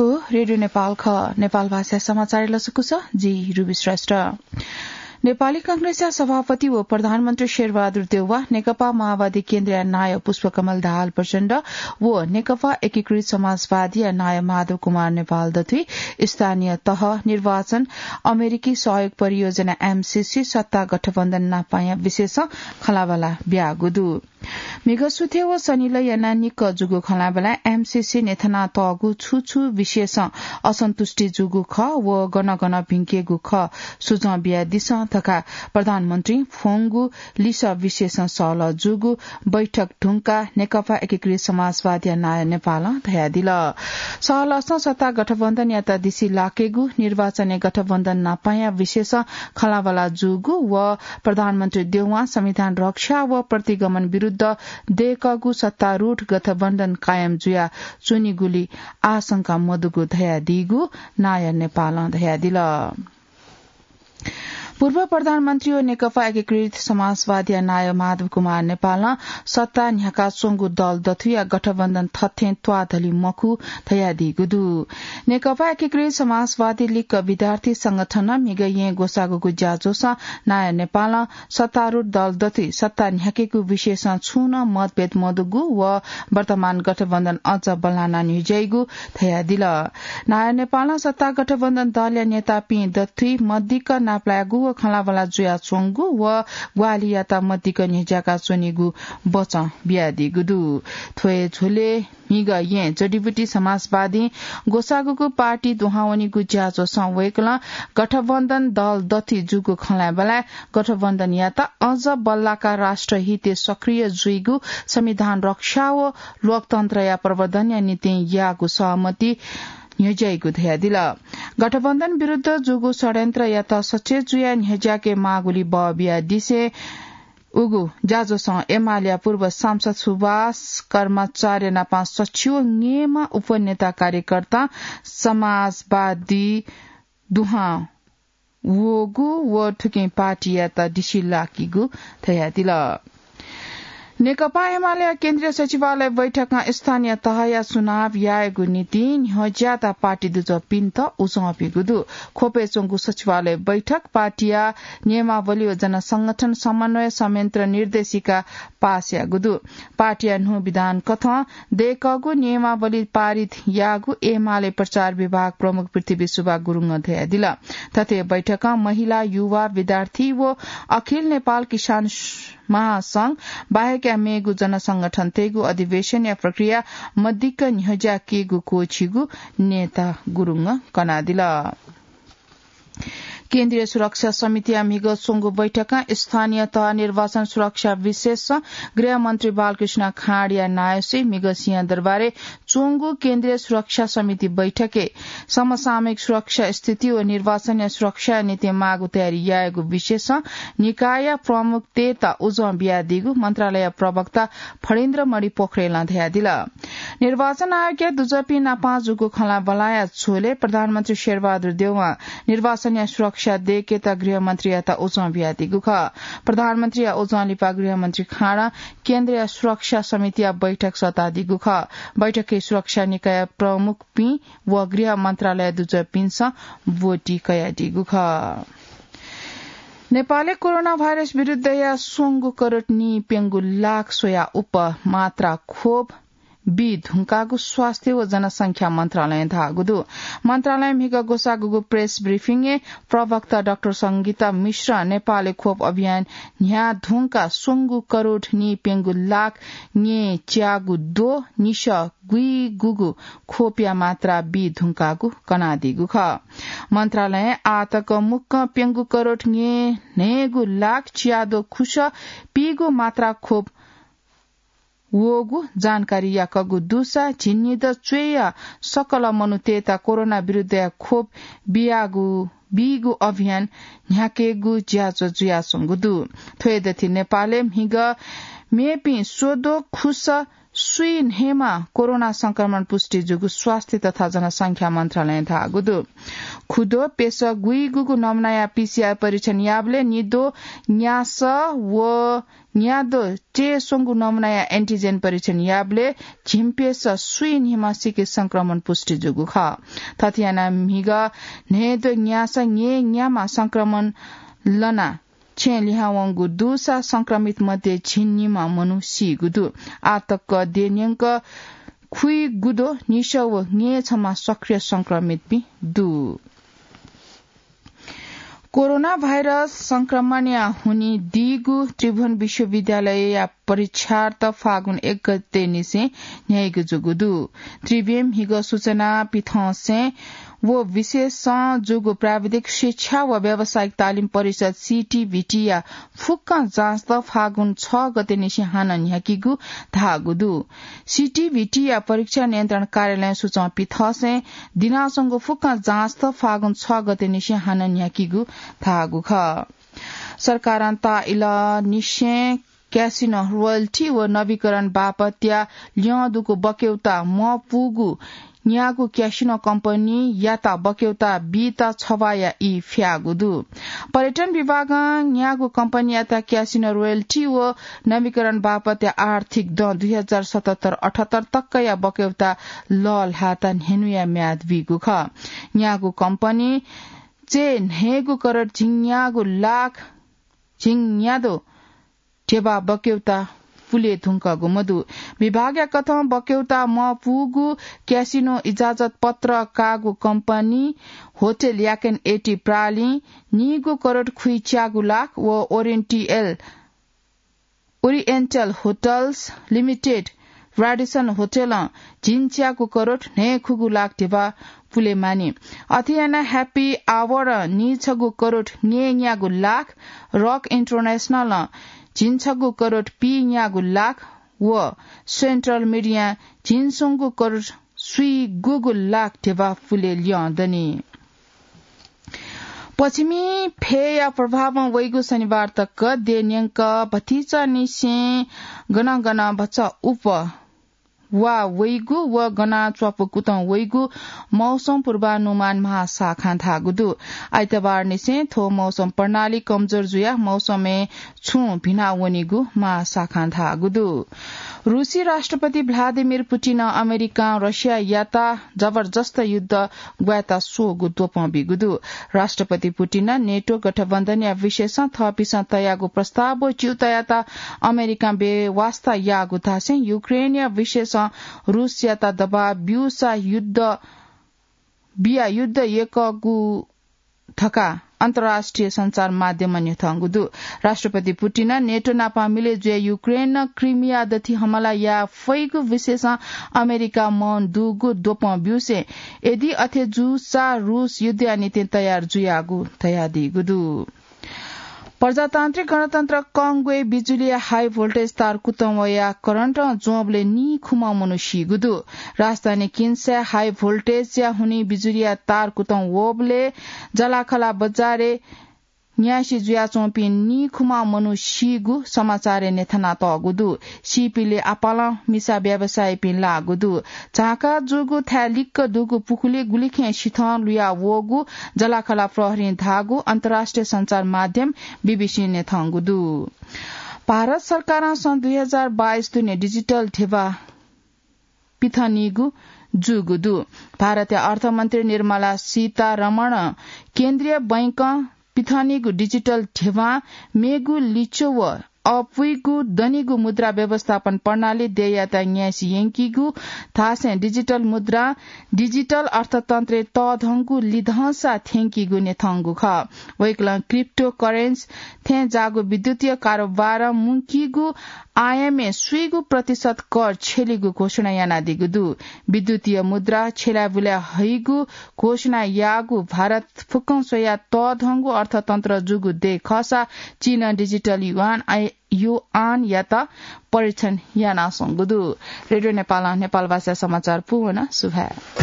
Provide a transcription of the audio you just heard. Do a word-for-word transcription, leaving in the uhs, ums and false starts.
रेडियो नेपाल खः। नेपाल भाषा समाचार लसकुस, जि रुबी श्रेष्ठ। नेपाली कांग्रेसया सभापति व प्रधानमन्त्री शेरबहादुर देउवा नेकपा माओवादी केन्द्रया नायः पुष्पकमल दाहाल प्रचण्ड व नेकपा एकीकृत समाजवादीया नायः माधव कुमार नेपाल दथुइ स्थानीय तह निर्वाचन, अमेरिकी सहयोग परियोजना एमसीसी, सत्ता गठबन्धन नापाया विषयसं खँल्हाबल्हा ब्याःगु दु। म्हिगः सुथय् व सनिलय् यानाः निक्क जूगु खँल्हाबल्हाय् एमसीसी न्ह्यथनातःगु छु छु विषयसं असन्तुष्टि जूगु खः व गन गन भिंकेगु खः, सुझाव बियादिसँ धकाः प्रधानमन्त्रीं फ्वंगु लिसः विषयसं सहलह जूगु बैठक धुंकाः नेकपा एकीकृत समाजवादीया नायः नेपालं धयादिल। सहलहसं सत्ता गठबन्धनयात दिसिलाकेगु, निर्वाचनय् गठबन्धन नापाया विषयसं खँल्हाबल्हा जूगु व प्रधानमन्त्री देउवां संविधान रक्षा व प्रतिगमन विरुद्ध दय्कःगु सत्तारूढ गठबन्धन कायम जुया च्वनीगुली आशंका मदुगु धयादीगु नायः नेपालं धयादिल। पूर्व प्रधानमन्त्री व नेकपा एकीकृत समाजवादीया नायः माधव कुमार नेपालं सत्ता न्ह्याकाच्वंगु दल दथुया गठबन्धन थथें त्वाःधलि मखु धयादीगु दु। नेकपा एकीकृत समाजवादी लिक्क विद्यार्थी संगठनं म्हिगः येँ ग्वसाःगुगु ज्याझ्वःसं नायः नेपालं सत्तारूढ दल दथुइ सत्ता न्ह्याकेगु विषयसं छुं नं मतभेद मदुगु व वर्तमान गठबन्धन अझ बल्लाना न्ह्यज्याइगु धयादिल। नायः नेपालं सत्ता गठबन्धन दलया नेतापिं दथुइ मदिक्क नापलायेगु व खँल्हाबल्हा जुयाच्वंगु व ग्वाहालियात मदिक्क न्ह्यज्याका च्वनीगु बचं बियादीगु दु। थ्व हे झ्वलय् म्हिगः येँ जडीबुटी समाजवादीं ग्वसाःगुगु पार्टी दुहां वनीगु ज्याझ्वःसं वय्कलं गठबन्धन दल दथुइ जूगु खँल्हाबल्हाय् गठबन्धनयात अझ बल्लाकाः राष्ट्रहितय् सक्रिय जुइगु, संविधान रक्षा व लोकतन्त्रया प्रवर्धनया निंतिं याःगु सहमति न्ह्यज्याइगु धयादिल। गठबन्धन विरुद्ध जूगु षड्यन्त्रयात सचेत जुयाः न्ह्यज्याके माःगुली बः बियादिसें उगु ज्याझ्वःसं एमालेया पूर्व सांसद सुभाष कर्माचार्य नाप सच्छि व न्येमा उपनेता कार्यकर्ता समाजवादी दुहां वःगु व थुकिं पार्टीयात दिसिलाकीगु धयादिल। नेकपा एमालेया केन्द्रीय सचिवालय बैठकं स्थानीय तहया चुनाव यायेगु निंतिं न्ह्यज्याःत पार्टी दुजःपिन्त उजं ब्यूगु दु। ख्वपय् च्वंगु सचिवालय बैठक पार्टीया नियमावली व जनसंगठन समन्वय संयन्त्र निर्देशिका पास याःगु दु। पार्टीया न्हू विधान कथं दय्कःगु नियमावली पारित याःगु एमाले प्रचार विभाग प्रमुख पृथ्वी सुब्बा गुरुङं धयादिल। थथे बैठकं महिला, युवा, विद्यार्थी व अखिल नेपाल किसान महासंघ बाहेकया मेगु जनसंगठनतय्गु अधिवेशनया प्रक्रिया मदिक्क न्ह्यज्याकीगु क्वःछीगु नेता गुरुङं कनादिल। केन्द्रीय सुरक्षा समितिया म्हिगः च्वंगु बैठकं स्थानीय तह निर्वाचन सुरक्षा विषयसं गृहमन्त्री बालकृष्ण खाँडया नायःसय् म्हिगः सिंहदरबारय् च्वंगु केन्द्रीय सुरक्षा समिति बैठकय् समसामयिक सुरक्षा स्थिति व निर्वाचनया सुरक्षाया निंतिं माःगु तयारी यायेगु विषयसं निकायया प्रमुखतय्त उजं बियादीगु मन्त्रालय प्रवक्ता फणीन्द्रमणि पोखरेलं धयादिल। निर्वाचन आयोगया दुजःपिं नाप जूगु खँल्हाबल्हाया झ्वलय् प्रधानमन्त्री शेरबहादुर देउवां निर्वाचनया सुरक्षा दय्केत गृहमन्त्रीयात उजं बियादीगु खः। प्रधानमन्त्रीया उजं लिपा गृहमन्त्री खाँडं केन्द्रीय सुरक्षा समितिया बैठक सःतादीगु खः। बैठकय् सुरक्षा निकाय प्रमुखपिं व गृह मन्त्रालय दुजःपिन्सं ब्वति कयादीगु खः। नेपालय् कोरोना भाइरस विरुद्धया स्वंगू करोड नीप्यंगू लाख स्वया उप मात्रा खोप बी धुंकाःगु स्वास्थ्य व जनसंख्या मन्त्रालयं धाःगु दु। मन्त्रालयं म्हिगः ग्वसाःगु प्रेस ब्रिफिङय् प्रवक्ता डाक्टर संगीता मिश्रं नेपालय् खोप अभियान न्ह्याः धुंकाः स्वंगू करोड नीप्यंगू लाख न्येच्यागू द्वः निसः गुइगुगु खोपया मात्रा बी धुंकाःगु कनादीगु खः। मन्त्रालयं आःतक मुक्कं प्यंगू करोड न्येन्हय्गू लाख च्याद्वः खुसः पीगू मात्रा खोप वःगु जानकारी याकःगु दुसा झिंनिदँ च्वय्या सकल मनूतय्त कोरोना विरुद्धया खोप बियागु, बीगु अभियान न्ह्याकेगु ज्याझ्वः जुयाच्वंगु दु। थ्व हे दथुइ नेपालय् म्हिगः मेपिं स्वद्वः खुसः स्वीन्हय्‌म्ह कोरोना संक्रमण पुष्टि जूगु स्वास्थ्य तथा जनसंख्या मन्त्रालयं धाःगु दु। खुद्वः प्यसः गुइगूगु नमुनाया पीसीआर परीक्षण याःबलय् निद्वः न्यासः व न्याद्वः च्यय् स्वंगु नमुनाया एन्टिजेन परीक्षण याःबलय् झिंप्यसः स्वीन्हय्‌म्हसिके संक्रमण पुष्टि जूगु खः। थथे यानाः म्हिगः न्हय्‌द्वः न्यासः न्यय्‌न्याम्ह संक्रमण लनाः छेँ लिहां वंगु दुसा संक्रमित मध्ये झिंनिम्ह मनू सीगु दु। आः तक देय्‌न्यंक खुइगुद्वः निसः व न्यय्‌छम्ह सक्रिय संक्रमितपिं दु। कोरोना भाइरस संक्रमणया हुनिं दीगु त्रिभुवन विश्वविद्यालयया परीक्षार्थ फागुन एक गते निसें न्ह्याइगु जूगु दु। त्रिभुवन म्हिगः सूचना पिथंसें व विशेषं जूगु प्राविधिक शिक्षा व व्यावसायिक तालिम परिषद, सीटीभीटीया फुक्क जाँचत फागुन छ गते निसें हानं न्ह्याकीगु धाःगु दु। सीटीभीटीया परीक्षा नियन्त्रण कार्यालयं सूचना पिथंसें दिनाच्वंगु फुक्क जाँचत फागुन छ गते निसें हानं न्ह्याकीगु धाःगु खः। सरकारं ताःइलंनिसें क्यासिनो रोयल्टी व नवीकरण बापतया ल्यं दुगु बक्यौता मपूगु न्यागू क्यासिनो कम्पनीयात बक्यौता बीत छवाःया ई फ्याःगु दु। पर्यटन विभागं न्यागू कम्पनीयात क्यासिनो रोयल्टी व नवीकरण बापतया आर्थिक दँ दुई हजार सतहत्तर अठहत्तर तकया बक्यौता लःल्हात न्ह्यनुया म्याद बीगु खः। न्यागू कम्पनी च्यय् न्हय्‌गू करोड झिंन्यागू लाख झिंन्याद्वः ध्यबा बक्यौता पुले धुंकःगु मदु। विभागया कथं बक्यौता मपूगु क्यासिनो इजाजत पत्र काःगु कम्पनी होटल याकेन एटी प्रालिं नीगू करोड खुइच्यागू लाख व ओरिएन्टियल, ओरिएन्टल होटल्स लिमिटेड, राडिसन होटलं झिंच्यागू करोड न्हय्‌खुगू लाख ध्यबा पुले मानि। अथे यानाः ह्याप्पी आवरं नीछगू करोड न्यय्‌न्यागू लाख, रक इन्टरनेसनलं झिंछगू करोड पीन्यागू लाख व सेन्ट्रल मिडियां झिंस्वंगू करोड स्वीगूगू लाख ध्यबा पुले ल्यं दनि। पश्चिमी फय्‌या प्रभावं वइगु शनिबार तक देय्‌न्यंक भतिचा निसें गनं गनं भचा उप वा वइगु व गनं च्वापु कुतं वइगु मौसम पूर्वानुमान महाशाखां धाःगु दु। आइतबार निसें थ्व मौसम प्रणाली कमजोर जुयाः मौसमय् छुं भिना वनीगु महाशाखां धाःगु दु। रुसी राष्ट्रपति भ्लादिमिर पुटिनं अमेरिकां रसियायात जबरजस्त युद्ध ग्वायेत स्वःगु द्वपं बीगु दु। राष्ट्रपति पुटिनं नेटो गठबन्धनया विषयसं थःपिसं तयागु प्रस्ताव व च्यूतायात अमेरिकां बेवास्ता याःगु धासें युक्रेनया विषयसं रुसयात दबाव ब्यूसा युद्ध बिया युद्ध यय्‌कःगु धकाः अन्तर्राष्ट्रिय सञ्चार माध्यमं न्ह्यथंगु दु। राष्ट्रपति पुटिनं नेटो नाप मिले जुयाः युक्रेनं क्रिमिया दथि हमला याये फइगु विषयसं अमेरिका मौन दुगु द्वपं ब्यूसें यदि अथे जूसा रुस युद्धया निंतिं तयार जुयागु धयादीगु दु। प्रजातान्त्रिक गणतन्त्र कंगोय् बिजुलीया हाई भोल्टेज तार कुतं वयाः करन्टं ज्वंबलय् नीखुम्ह मनू सीगु दु। राजधानी किन्साय् हाई भोल्टेजया हुनिं बिजुलीया तार कुतं वःबलय् जलाखला बजारय् न्यासि जुयाच्वंपिं नीखुम्ह मनू सीगु समाचारय् न्ह्यथनातःगु दु। सीपिले आपालं मिसा व्यवसायीपिं लाःगु दु। झांका जूगु थाय् लिक्क दुगु पुखुली गुलिखें सिथं लुया वःगु जलाखला प्रहरीं धाःगु अन्तर्राष्ट्रिय सञ्चार माध्यम बीबीसीं न्ह्यथंगु दु। भारत सरकारं सन् दुई हजार बाइस दुने डिजिटल ध्यबा पिथनीगु जूगु दु। भारतया अर्थमन्त्री निर्मला सीतारमण केन्द्रीय बैंकं पिथनीगु डिजिटल ध्यबां मेगु लिच्वः व अपुइगु दनिगु मुद्रा व्यवस्थापन प्रणाली देय्‌यात न्यासि यंकीगु धासें डिजिटल मुद्रा डिजिटल अर्थतन्त्रय् तःधंगु लिधंसा थ्यंकीगु न्ह्यथंगु खः। वय्‌कलं क्रिप्टो करेन्सी थें जाःगु विद्युतीय कारोबारं मुंकीगु आयामय् स्वीगु प्रतिशत कर छ्यलीगु घोषणा यानादीगु दु। विद्युतीय मुद्रा छ्यलाबुला हइगु घोषणा याःगु भारत फुक्कं स्वयाः तःधंगु अर्थतन्त्र जूगु देय् खःसा चीनं डिजिटल युआन आइ-, युआनयात परीक्षण यानाच्वंगु दु। रेडियो नेपालं नेपाल भाषा समाचार पूवन। सुभाय्।